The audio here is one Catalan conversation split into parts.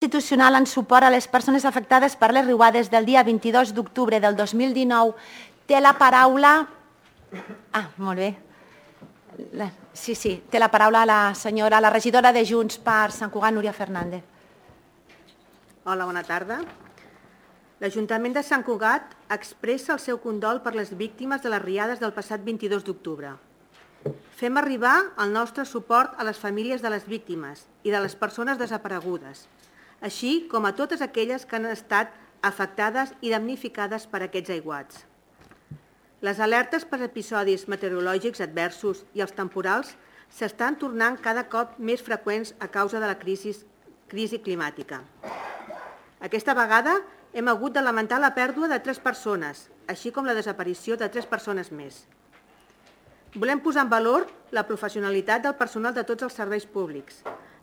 institucional en suport a les persones afectades per les riuades del dia 22 d'octubre del 2019. Té la paraula... molt bé. Sí, té la paraula la regidora de Junts per Sant Cugat, Núria Fernández. Hola, bona tarda. L'Ajuntament de Sant Cugat expressa el seu condol per les víctimes de les riades del passat 22 d'octubre. Fem arribar el nostre suport a les famílies de les víctimes i de les persones desaparegudes, així com a totes aquelles que han estat afectades i damnificades per aquests aiguats. Les alertes per episodis meteorològics adversos i els temporals s'estan tornant cada cop més freqüents a causa de la crisi climàtica. Aquesta vegada hem hagut de lamentar la pèrdua de 3 persones, així com la desaparició de 3 persones més. Volem posar en valor la professionalitat del personal de tots els serveis públics,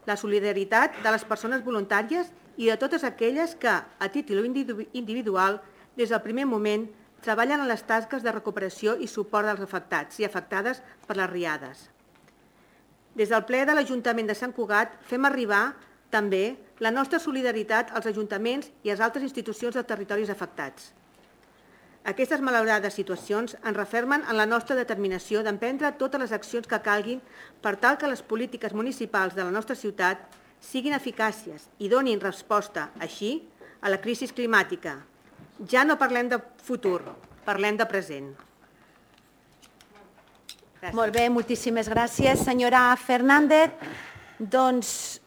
la solidaritat de les persones voluntàries i de totes aquelles que, a títol individual, des del primer moment, treballen en les tasques de recuperació i suport dels afectats i afectades per les riades. Des del ple de l'Ajuntament de Sant Cugat fem arribar també la nostra solidaritat als ajuntaments i a les altres institucions dels territoris afectats. Aquestes malaurades situacions ens refermen en la nostra determinació d'emprendre totes les accions que calguin per tal que les polítiques municipals de la nostra ciutat siguin eficàcies i donin resposta, així, a la crisi climàtica. Ja no parlem de futur, parlem de present. Gràcies. Molt bé, moltíssimes gràcies, senyora Fernández. Doncs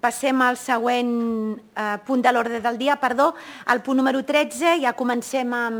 passem al següent punt de l'ordre del dia, al punt número 13. Ja comencem amb